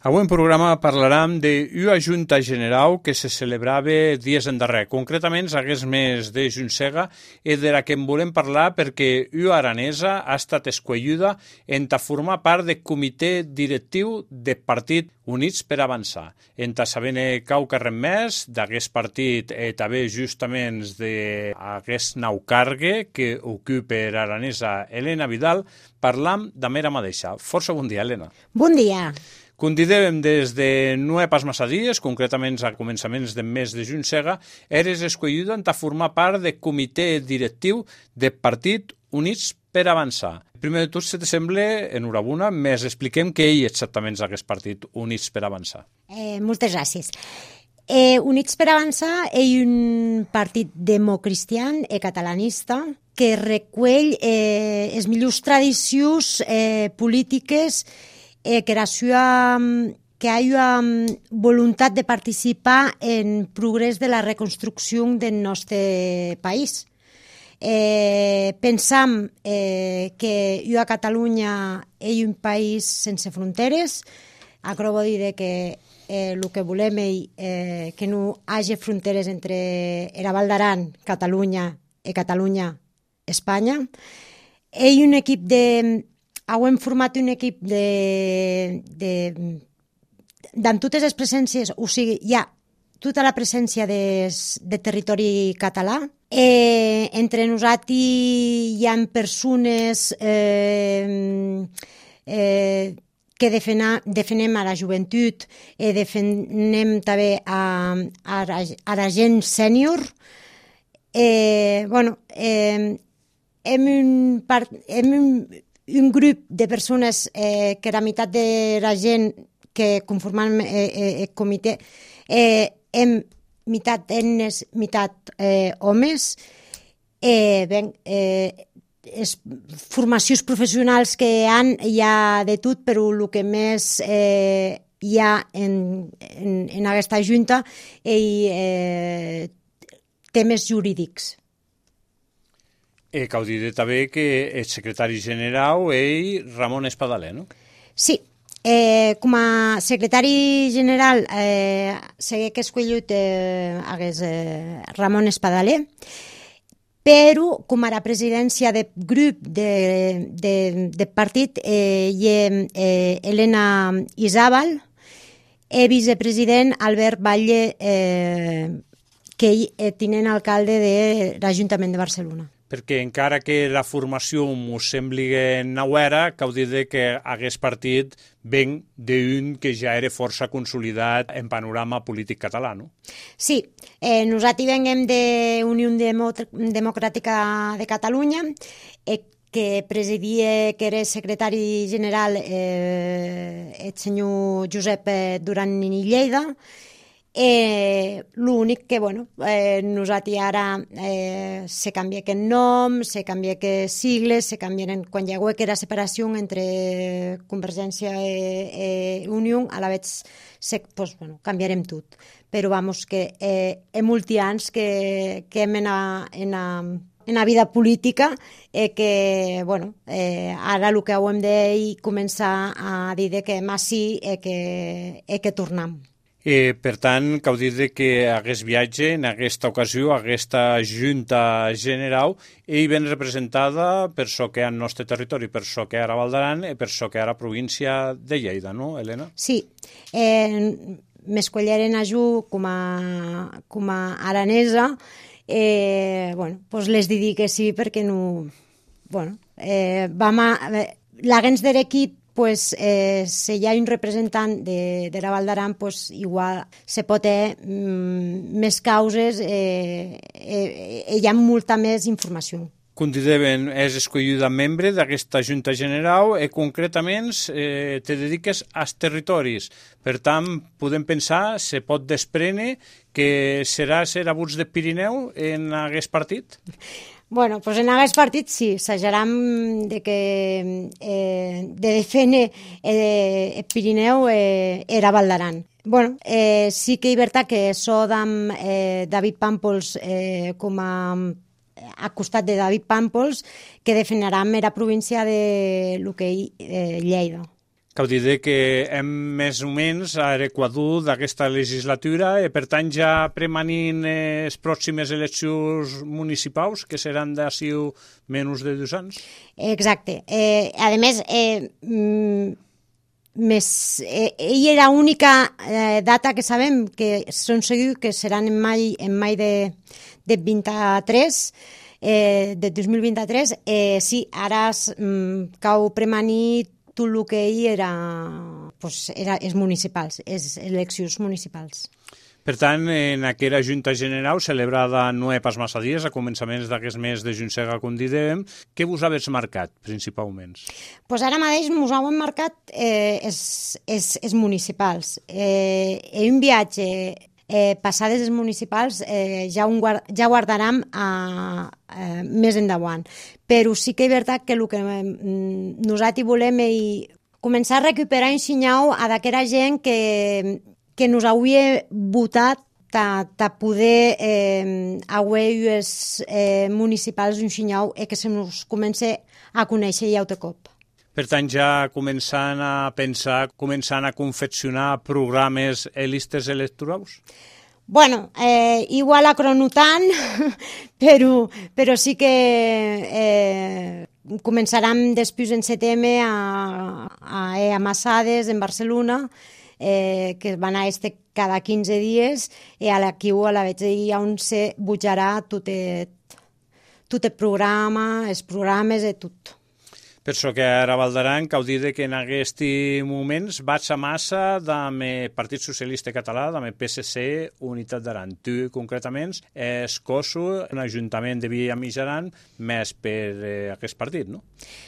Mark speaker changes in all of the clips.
Speaker 1: Avui en programa parlarem d'una Junta General que se celebrava dies endarrer. Concretament, hagués més de Juntsega i de la que en volem parlar perquè una aranesa ha estat escolluda en formar part del comitè directiu del Partit Units per Avançar. En sabent qualque res més d'aquest partit també justament d'aquest nou cargue que ocupa l'aranesa Elena Vidal, parlam de mera mateixa. Força bon dia, Elena.
Speaker 2: Bon dia.
Speaker 1: Convidem des de no pas massa dies, concretament a començaments del mes de Juntsega, eres escolluda a formar part del comitè directiu del Partit Units per Avançar. Primer de tot, si te sembla, enhorabona, més expliquem què és exactament aquest Partit Units per Avançar.
Speaker 2: Moltes gràcies. Units per Avançar és un partit democristian i catalanista que recull les millors tradicions polítiques que hi ha voluntat de participar en progrés de la reconstrucció del nostre país. Pensam que a Catalunya és un país sense fronteres. Acabo de dir que el que volem és que no hi hagi fronteres entre la Val d'Aran, Catalunya i Catalunya, Espanya. És un equip hem format un equip d'en totes les presències, o sigui, hi ha tota la presència de territori català. Entre nosaltres hi ha persones que defenem a la joventut, defenem també a la gent sènior. Hem un grup de persones que la meitat de la gent que conformem el comitè hem meitat dones, meitat homes. Formacions professionals que hi ha de tot, però el que més hi ha en aquesta junta és temes jurídics.
Speaker 1: Cal dir també que el secretari general és Ramon Espadaler, no?
Speaker 2: Sí, com a secretari general segueix que escollit Ramon Espadaler, però com a la presidència del grup del partit hi ha Elena Izábal i vicepresident Albert Batlle, que és tinent alcalde de l'Ajuntament de Barcelona.
Speaker 1: Perquè encara que la formació m'ho sembli nouera, cal dir que aquest partit ven d'un que ja era força consolidat en panorama polític català, no?
Speaker 2: Sí, nosaltres venim de Unió Democràtica de Catalunya, que presidia, que era secretari general el senyor Josep Duran i Lleida. L'únic que, nosaltres ara se canvia aquest nom, se canvia aquests sigles, se canvien quan hi ha hagut la separació entre Convergència i Unió, a la vegada canviarem tot. Però que hi molts anys que hem en la vida política que, ara el que hem de començar a dir que hem així que tornem.
Speaker 1: Per tant, cal dir que aquest viatge, en aquesta ocasió, aquesta Junta General, ell ben representada per això que hi ha el nostre territori, per això que hi ha la Val d'Aran i per això que hi ha la província de Lleida, no, Helena?
Speaker 2: Sí, m'escolleren a jo com a aranesa, les dic que sí perquè no... L'agents de l'equip, si hi ha un representant de la Val d'Aran, igual se pot més causes i hi ha molta més informació.
Speaker 1: Consideren, és escollida membre d'aquesta Junta General i concretament te dediques als territoris. Per tant, podem pensar, se pot desprendre que serà ser abuts de Pirineu en aquest partit?
Speaker 2: En aquest partit sí, s'ajaram de defendre el Pirineu i la Val d'Aran. Sí que és veritat que sóc amb David Pàmpols com a costat de David Pàmpols, que defenderà la província de Lleida.
Speaker 1: Cal dir que hem més o menys a l'equador d'aquesta legislatura i per tant ja premanin les pròximes eleccions municipals que seran d'ací menys de 2 anys.
Speaker 2: Exacte. A més, ella era l'única data que sabem que són segurs que seran en mai de 23, de 2023. Sí, ara cau premanir tot el que hi era els municipals, les eleccions municipals.
Speaker 1: Per tant, en aquella Junta General celebrada no pas massa dies, a començaments d'aquest mes de juny-sega, com dèiem, què vos habéis marcat, principalment?
Speaker 2: Pues ara mateix ens hem marcat els municipals. Un viatge passades les municipals ja guardarem més endavant. Però sí que és veritat que el que nosaltres volem és començar a recuperar un senyal a d'aquella gent que nos hauria votat a poder haver els municipals un senyal i que se nos comença a conèixer ja de cop.
Speaker 1: Per tant, ja començant a pensar, començant a confeccionar programes i listes electorals?
Speaker 2: Bueno, igual a cronotant, però sí que començarem després en setembre a Massades, en Barcelona, que van a cada 15 dies, i a l'aquí a la veig on se bujarà tot el programa, els programes i tot.
Speaker 1: Per això que ara Valdaran, cal dir que en aquests moments vaig a massa amb el Partit Socialista Català, amb el PSC, Unitat d'Aran. Tu, concretament, és coso en l'Ajuntament de Via Mijaran més per aquest partit, no?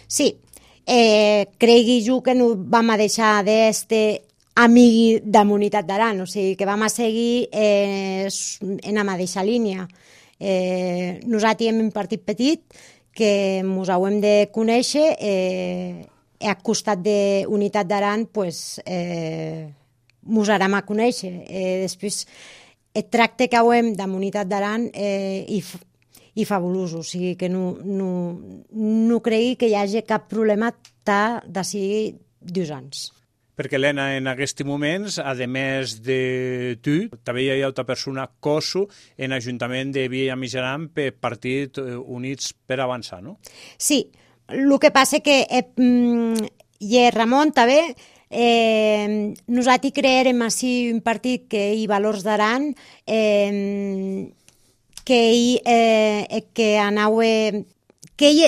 Speaker 1: Sí.
Speaker 2: Cregui jo que no vam a deixar d'este amic de la Unitat d'Aran, o sigui que vam a seguir en la mateixa línia. Nosaltres hem un partit petit que ens haurem de conèixer i al costat de Unitat d'Aran ens harem a conèixer. Després, el tracte que haurem de la Unitat d'Aran i fabulós, o sigui que no cregui que hi hagi cap problema d'ací 2 anys.
Speaker 1: Perquè, Helena, en aquests moments, a més de tu, també hi ha altra persona, coso, en l'Ajuntament de Via Mijaran per Partit Units per Avançar, no?
Speaker 2: Sí, el que passa que Ramon també, nosaltres crearem així un partit que hi valors d'Aran, que anau que ell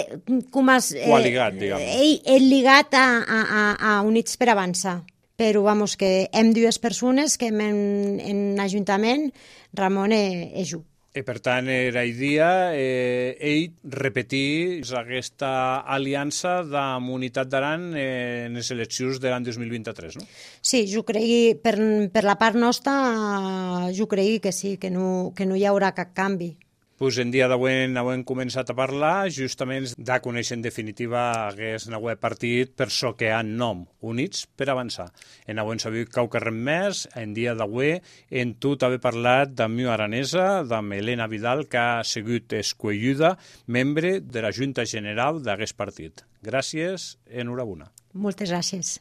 Speaker 2: és lligat a Units per Avançar. Però, que hem 2 persones que en l'Ajuntament, Ramon és jo.
Speaker 1: I per tant, era idea ell repetir aquesta aliança de la Unitat d'Aran en les eleccions de l'any 2023, no?
Speaker 2: Sí, jo crec, per la part nostra, jo crec que sí, que no hi haurà cap canvi.
Speaker 1: Pues en dia d'avui hem començat a parlar justament de conèixer en definitiva aquest nou partit per so que han nom, Units per Avançar. En avui hem sabut que res més, en dia d'avui en tot haver parlat d'Amiu Aranesa, d'amb Helena Vidal, que ha sigut escolluda membre de la Junta General d'aquest partit. Gràcies, enhorabona.
Speaker 2: Moltes gràcies.